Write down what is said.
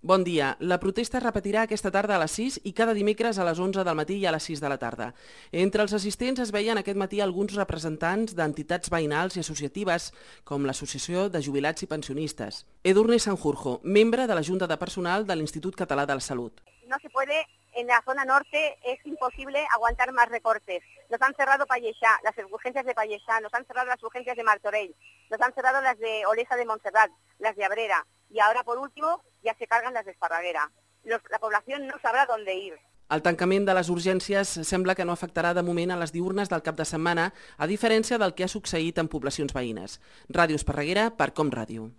Bon dia. La protesta es repetirà aquesta tarda a les 6 i cada dimecres a les 11 del matí i a les 6 de la tarda. Entre els assistents es veien aquest matí alguns representants d'entitats veïnals i associatives, com l'Associació de Jubilats i Pensionistes. Edurne Sanjurjo, membre de la Junta de Personal de l'Institut Català de la Salut. No se puede, en la zona norte es imposible aguantar más recortes. Nos han cerrado Pallexá, las urgencias de Pallexá, nos han cerrado las urgencias de Martorell, nos han cerrado las de Olesa de Montserrat, las de Abrera y ahora por último ya se cargan las de Esparraguera. La población no sabrà dónde ir. El tancament de les urgències sembla que no afectarà de moment a les diürnes del cap de setmana, a diferència del que ha succeït en poblacions veïnes. Ràdio Esparreguera per Com Ràdio.